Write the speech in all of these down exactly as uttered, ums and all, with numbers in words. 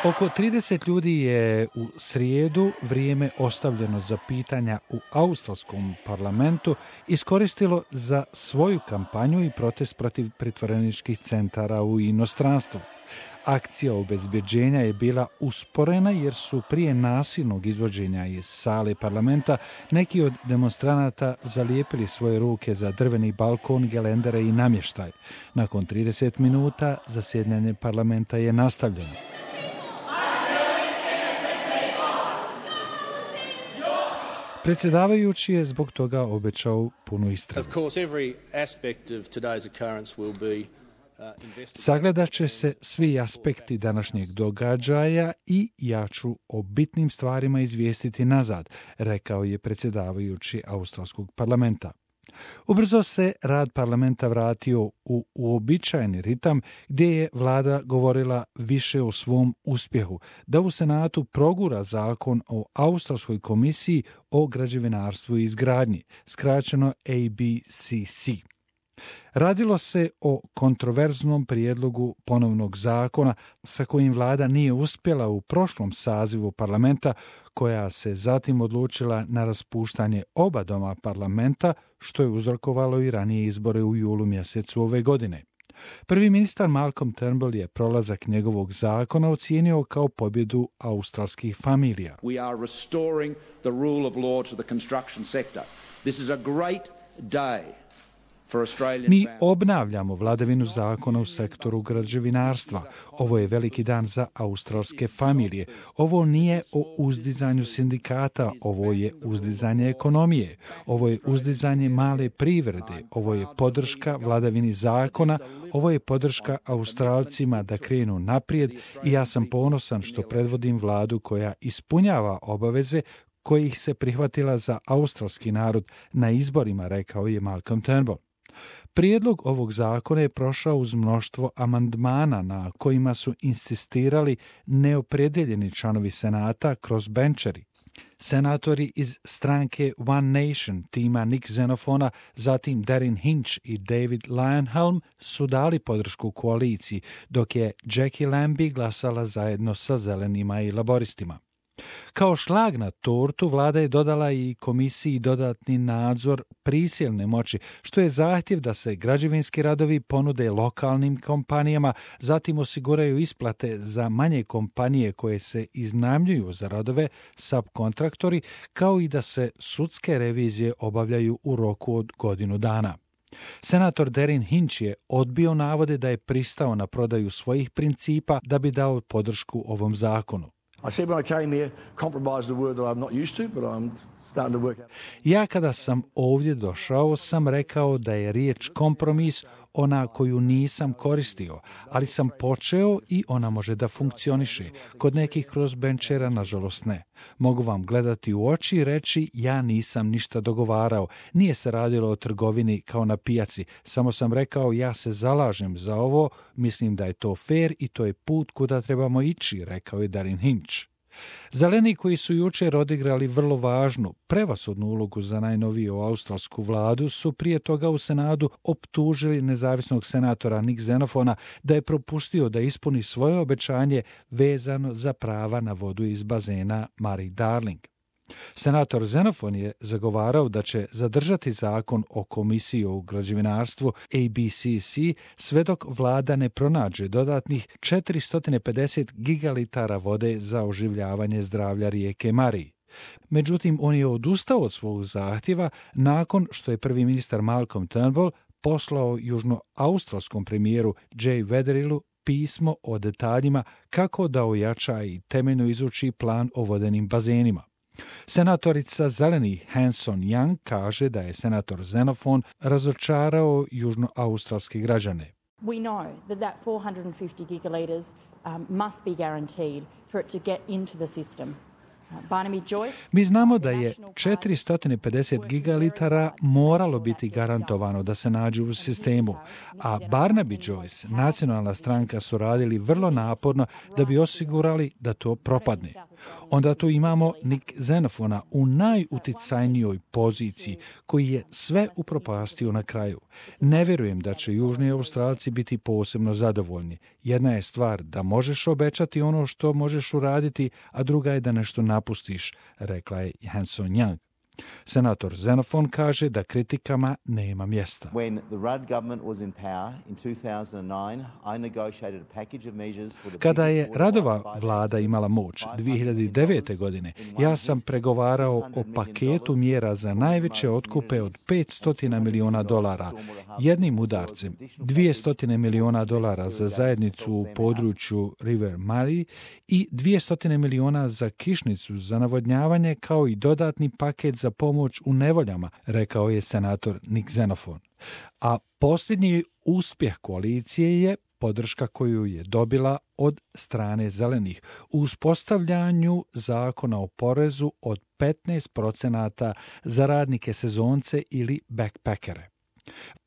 Oko trideset ljudi je u srijedu vrijeme ostavljeno za pitanja u australskom parlamentu iskoristilo za svoju kampanju i protest protiv pritvoreničkih centara u inostranstvu. Akcija obezbeđenja je bila usporena jer su prije nasilnog izvođenja iz sale parlamenta neki od demonstranata zalijepili svoje ruke za drveni balkon, gelendere i namještaj. Nakon trideset minuta zasjedanje parlamenta je nastavljeno. Predsjedavajući je zbog toga obećao punu istragu. Sagledat će se svi aspekti današnjeg događaja i ja ću o bitnim stvarima izvijestiti nazad, rekao je predsjedavajući australskog parlamenta. Ubrzo se rad parlamenta vratio u uobičajeni ritam gdje je vlada govorila više o svom uspjehu, da u Senatu progura zakon o Australskoj komisiji o građevinarstvu i izgradnji, skraćeno A B C C. Radilo se o kontroverznom prijedlogu ponovnog zakona sa kojim vlada nije uspjela u prošlom sazivu parlamenta, koja se zatim odlučila na raspuštanje oba doma parlamenta, što je uzrokovalo i ranije izbore u julu mjesecu ove godine. Prvi ministar Malcolm Turnbull je prolazak njegovog zakona ocijenio kao pobjedu australskih familija. We are restoring the rule of law to the construction sector. This is a great day. Mi obnavljamo vladavinu zakona u sektoru građevinarstva. Ovo je veliki dan za australske familije. Ovo nije o uzdizanju sindikata, ovo je uzdizanje ekonomije. Ovo je uzdizanje male privrede. Ovo je podrška vladavini zakona. Ovo je podrška Australcima da krenu naprijed i ja sam ponosan što predvodim vladu koja ispunjava obaveze kojih se prihvatila za australski narod na izborima, rekao je Malcolm Turnbull. Prijedlog ovog zakona je prošao uz mnoštvo amandmana na kojima su insistirali neopredjeljeni članovi Senata crossbencheri. Senatori iz stranke One Nation, tima Nick Xenofona, zatim Darren Hinch i David Leyonhjelm su dali podršku koaliciji, dok je Jackie Lambie glasala zajedno sa zelenima i laboristima. Kao šlag na tortu vlada je dodala i komisiji dodatni nadzor prisilne moći, što je zahtjev da se građevinski radovi ponude lokalnim kompanijama, zatim osiguraju isplate za manje kompanije koje se iznajmljuju za radove, subkontraktori, kao i da se sudske revizije obavljaju u roku od godinu dana. Senator Darren Hinch je odbio navode da je pristao na prodaju svojih principa da bi dao podršku ovom zakonu. Ja kada sam ovdje došao sam rekao da je riječ kompromis ona koju nisam koristio, ali sam počeo i ona može da funkcioniše. Kod nekih crossbenchera nažalost ne. Mogu vam gledati u oči i reći ja nisam ništa dogovarao. Nije se radilo o trgovini kao na pijaci. Samo sam rekao ja se zalažem za ovo, mislim da je to fair i to je put kuda trebamo ići, rekao je Darren Hinch. Zeleni koji su jučer odigrali vrlo važnu, prevashodnu ulogu za najnoviju australsku vladu su prije toga u Senatu optužili nezavisnog senatora Nick Xenofona da je propustio da ispuni svoje obećanje vezano za prava na vodu iz bazena Murray Darling. Senator Xenofon je zagovarao da će zadržati zakon o komisiji o građevinarstvu A B C C sve dok vlada ne pronađe dodatnih četiristo pedeset gigalitara vode za oživljavanje zdravlja rijeke Murray. Međutim, on je odustao od svog zahtjeva nakon što je prvi ministar Malcolm Turnbull poslao južnoaustralskom premijeru Jay Weatherillu pismo o detaljima kako da ojača i temeljno izuči plan o vodenim bazenima. Senatorica zelenih Hanson Young kaže da je senator Xenofon razočarao južnoaustralske građane. We know that that four hundred fifty gigalitres um, must be guaranteed for it to get into the system. Mi znamo da je četiristo pedeset gigalitara moralo biti garantovano da se nađe u sistemu, a Barnaby Joyce, nacionalna stranka, su radili vrlo naporno da bi osigurali da to propadne. Onda tu imamo Nick Xenofona u najuticajnijoj poziciji, koji je sve upropastio na kraju. Ne vjerujem da će Južni Australci biti posebno zadovoljni. Jedna je stvar da možeš obećati ono što možeš uraditi, a druga je da nešto napustiš, rekla je Hanson Young. Senator Xenofon kaže da kritikama nema mjesta. Kada je Ruddova vlada imala moć dvije hiljade devete. godine, ja sam pregovarao o paketu mjera za najveće otkupe od petsto miliona dolara, jednim udarcem, dvjesto miliona dolara za zajednicu u području River Murray i dvjesto miliona za kišnicu za navodnjavanje, kao i dodatni paket za pomoć u nevoljama, rekao je senator Nick Xenofon. A posljednji uspjeh koalicije je podrška koju je dobila od strane zelenih u uspostavljanju zakona o porezu od petnaest procenata za radnike sezonce ili backpackere.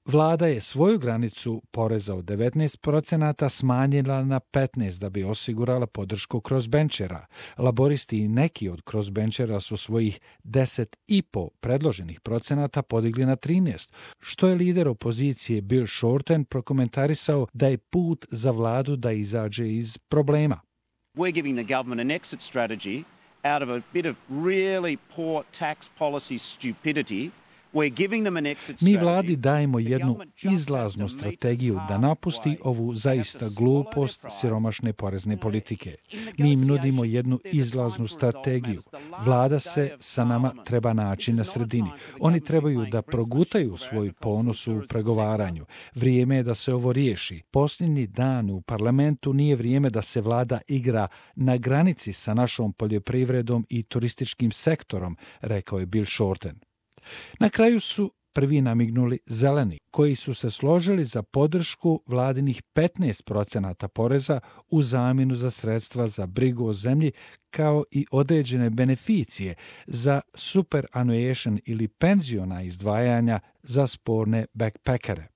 Vlada je svoju granicu poreza od devetnaest procenata smanjila na petnaest da bi osigurala podršku crossbenchera. Laboristi i neki od crossbenchera su svojih deset i po predloženih procenata podigli na trinaest, što je lider opozicije Bill Shorten prokomentarisao da je put za vladu da izađe iz problema. We're giving the government an exit strategy out of a bit of really poor tax policy stupidity. Mi vladi dajemo jednu izlaznu strategiju da napusti ovu zaista glupost siromašne porezne politike. Mi im nudimo jednu izlaznu strategiju. Vlada se sa nama treba naći na sredini. Oni trebaju da progutaju svoj ponos u pregovaranju. Vrijeme je da se ovo riješi. Posljednji dan u parlamentu nije vrijeme da se vlada igra na granici sa našom poljoprivredom i turističkim sektorom, rekao je Bill Shorten. Na kraju su prvi namignuli zeleni, koji su se složili za podršku vladinih petnaest procenata poreza u zamjenu za sredstva za brigu o zemlji, kao i određene beneficije za superannuation ili penziona izdvajanja za sporne backpackere.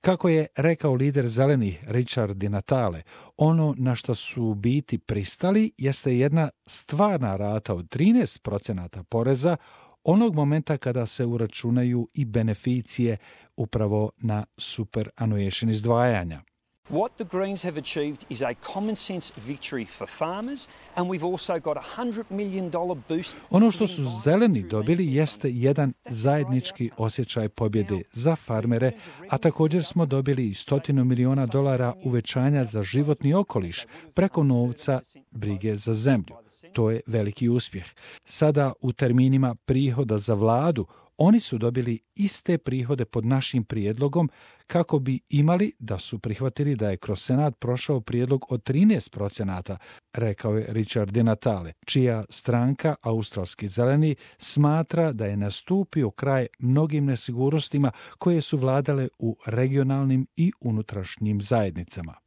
Kako je rekao lider zelenih Richard Di Natale, ono na što su u biti pristali jeste jedna stvarna rata od trinaest procenata poreza onog momenta kada se uračunaju i beneficije upravo na superannuation izdvajanja. What the Greens have achieved is a common sense victory for farmers, and we've also got a one hundred million dollars boost. Ono što su zeleni dobili jeste jedan zajednički osjećaj pobjede za farmere, a također smo dobili i stotinu miliona dolara uvećanja za životni okoliš preko novca brige za zemlju. To je veliki uspjeh. Sada u terminima prihoda za vladu, oni su dobili iste prihode pod našim prijedlogom kako bi imali da su prihvatili da je kroz Senat prošao prijedlog od trinaest procenata, rekao je Richard Di Natale, čija stranka, Australski zeleni, smatra da je nastupio kraj mnogim nesigurnostima koje su vladale u regionalnim i unutrašnjim zajednicama.